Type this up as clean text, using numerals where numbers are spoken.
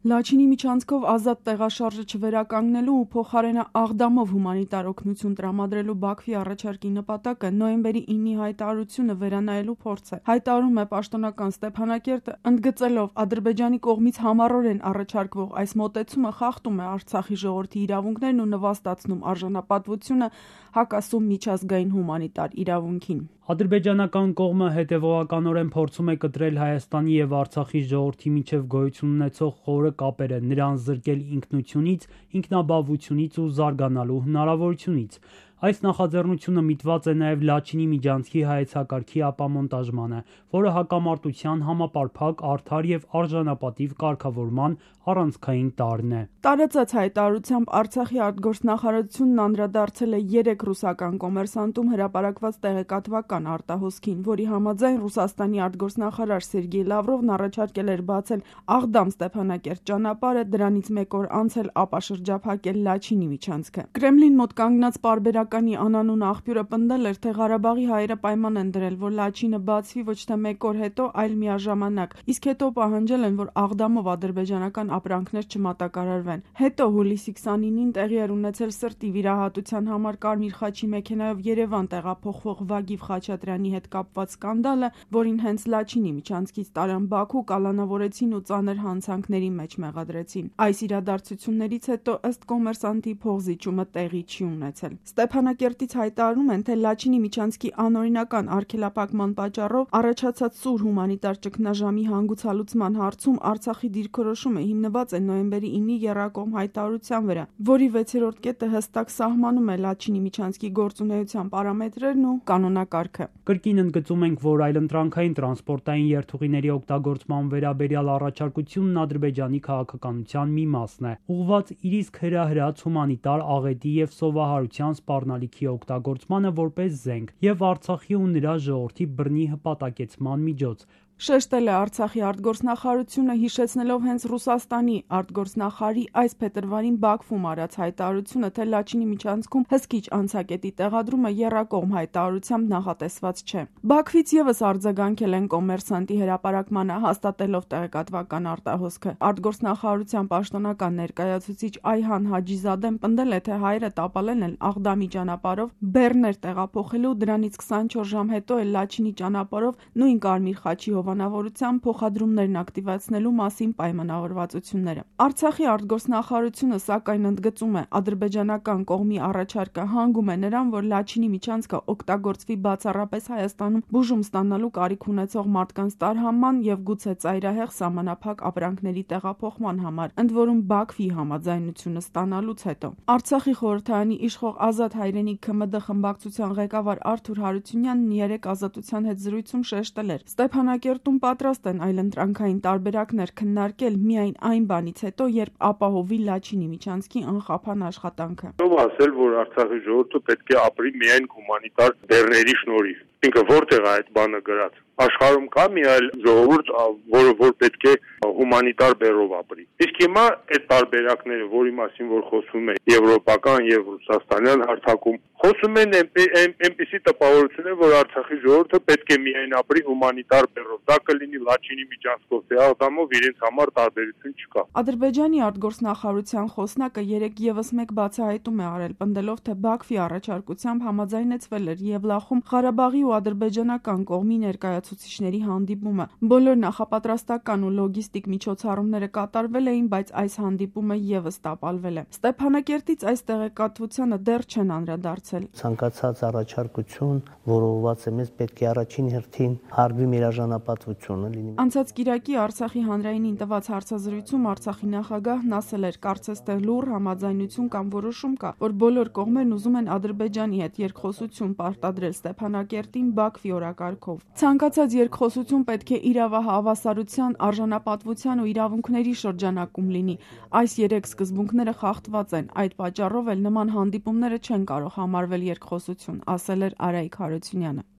Լաչինի միջանցքով ազատ տեղաշարժը չվերականգնելու ու փոխարենը Աղդամով հումանիտար օգնություն տրամադրելու Բաքվի առաջարկի նպատակը նոյեմբերի 9-ի հայտարարությունը վերանայելու փորձ է, հայտարարում է պաշտոնական Ստեփանակերտը, ընդգծելով Ադրբեջանի կողմից համառորեն առաջարկվող այս մոտեցումը խախտում է Արցախի ժողովրդի իրավունքներն ու նվաստացնում արժանապատվությունը, հակասում միջազգային հումանիտար իրավունքին։ Ադրբեջանական կողմը հետևողականորեն փորձում է կտրել Հայաստանի եւ Արցախի ժողովրդի միջև գոյություն ունեցող խորը կապերը, նրան զրկել ինքնությունից, ինքնաբավությունից ու զարգանալու հնարավորությունից։ Այս նախաձեռնությունը միտված է նաև Լաչինի միջանցքի հայեցակարգի ապամոնտաժմանը, որը հակամարտության համապարփակ, արդար եւ արժանապատիվ կարգավորման առանցքային տարրն է։ Տարածած հայտարարությամբ Արցախի արտգործնախարարությունն անդրադարձել է 3 ռուսական կոմերսանտում հրապարակված տեղեկատվական արտահոսքին, որի համաձայն Ռուսաստանի արտգործնախարար Սերգեյ Լավրովն առաջարկել էր բացել Աղդամ-Ստեփանակերտ ճանապարհը, դրանից մեկ օր անց էլ ապաշրջափակել Լաչինի միջանցքը։ Կրեմլին մոտ կանգնած պարբերականի անանուն աղբյուրը պնդել էր, թե Ղարաբաղի հայերը պայման են դրել, որ Լաչինը բացվի ոչ թե մեկ օր հետո, այլ միաժամանակ, իսկ հետո պահանջել են, որ Աղդամով ադրբեջանական ապրանքներ չմատակարարվեն։ Հետո հուլիսի 29-ին տեղի էր ունեցել սրտի վիրահատության համար Կարմիր խաչի մեքենայով Երևան տեղափոխվող Վագիվ Խաչատրյանի հետ կապված սկանդալը, որին հենց Լաչինի միջանցքից տարան Բաքու, կալանավորեցին ու ծանր հանցանքների մեջ մեղադրեցին։ Այս իրադարձություններից հետո ըստ կոմերսանտի փողզիջումը տեղի չի ունեցել։ Ստեփանակերտից հայտարարում են, թե Լաչինի միջանցքի անօրինական արգելափակման պատճառով առաջացած սուր հումանիտար ճգնաժամի հանգուցալուծման հարցում Արցախի դիրքորոշումը հիմնված է նոյեմբերի 9-ի եռակողմ հայտարարության վրա, որի 6-րդ կետը հստակ սահմանում է Լաչինի միջանցքի գործունեության պարամետրերն ու կանոնակարգը։ Կրկին ընդգծում ենք, որ այլընտրանքային տրանսպորտային երթուղիների օգտագործման վերաբերյալ առաջարկությունն Ադրբեջանի քաղաքականության մի մասն է, ուղղված իր իսկ հրահրած հումանիտար աղետի եւ սովահարության սպառնալիքի օգտագործմանը որպես զենք եւ Արցախի ու նրա ժողովրդի բռնի հպատակեցման միջոց։ Շեշտել է Արցախի արտգործնախարարությունը, հիշեցնելով հենց Ռուսաստանի արտգործնախարարի այս փետրվարին Բաքվում արած հայտարարությունը, թե Լաչինի միջանցքում հսկիչ անցակետի տեղադրումը եռակողմ հայտարարությամբ նախատեսված չէ։ Բաքվից եւս արձագանքել են կոմերսանտի հրապարակմանը, հաստատելով տեղեկատվական արտահոսքը։ Արտգործնախարարության պաշտոնական ներկայացուցիչ Այհան Հաջիզադեն պնդել է, թե հայերը տապալել են Աղդամի ճանապարհով բեռներ տեղափոխելու, դրանից 24 ժամ հետո էլ Լաչինի ճանապարհով նույն Կարմիր խաչի հովանավորությամբ փոխադրումներն ակտիվացնելու մասին պայմանավորվածությունները։ Արցախի արտգործնախարարությունը սակայն ընդգծում է, ադրբեջանական կողմի առաջարկը հանգում է նրան, որ Լաչինի միջանցքը օգտագործվի բացառապես Հայաստանում բուժում ստանալու կարիք ունեցող մարդկանց տարհանման եւ գուցե ծայրահեղ սահմանափակ ապրանքների տեղափոխման համար, ընդ որում Բաքվի համաձայնությունը ստանալուց հետո։ Արցախի խորհրդարանի իշխող Ազատ հայրենիք ՔՄԴ խմբակցության ղեկավար Արթուր Հարությունյանն երեք Ազատության հետ զրույցում շեշտել էր. Ստեփանակերտում պատրաստ են այլընտրանքային տարբերակներ քննարկել միայն այն բանից հետո, երբ ապահովի Լաչինի միջանցքի անխափան աշխատանքը։ Ասել, որ Արցախի ժողովուրդը պետք է ապրի միայն հումանիտար բեռների շնորհիվ։ Ինքը որտեղ է այդ բանը գրած։ Աշխարհում կա մի այլ ժողովուրդ, որը պետք է հումանիտար բեռով ապրի։ Իսկ հիմա այդ տարբերակները, որի մասին որ խոսում է եվրոպական եւ ռուսաստանյան հարթակում, խոսում են այնպիսի տպավորություն է, որ Արցախի ժողովուրդը պետք է միայն ապրի հումանիտար բեռով։ Դա կլինի Լաչինի միջանցքով, թե Աղդամով, իրենց համար տարբերություն չկա։ Ադրբեջանի արտգործնախարարության խոսնակը երեք եւս մեկ բացահայտում է արել, պնդելով, թե Բաքվի առաջարկությամբ համաձայնեցվել էր Եվլախում Ղարաբաղի ու ադրբեջանական կողմի ներկայացուցիչների հանդիպումը։ Բոլոր նախապատրաստական ու լոգիստիկ միջոցառումները կատարվել էին, բայց այս հանդիպումը եւս տապալվել է։ Ստեփանակերտից այս տեղեկատվությանը դեռ չեն անդրադարձել։ Ցանկացած առաջարկություն, որը ուղղված է մեզ, պետք է առաջին հերթին հարգվի մեր արժանապատվությունը լինի։ Անցած կիրակի Արցախի հանրայինին տված հարցազրույցում Արցախի նախագահն ասել էր, կարծես թե լուռ համաձայնություն կամ որոշում կա, որ բոլոր կողմերն ուզում են Ադրբեջանի հետ երկխոսություն պարտադրել Ստեփանակերտին Բաքվի օրակարգով։ Ցանկացած երկխոսություն պետք է իրավահավասարության, արժանապատվության ու իրավունքների շրջանակում լինի։ Այս 3 սկզբունքները խախտված են, այդ պատճառով էլ նման հանդիպումները չեն կարող համարվել երկխոսություն, ասել էր Արայիկ Հարությունյանը։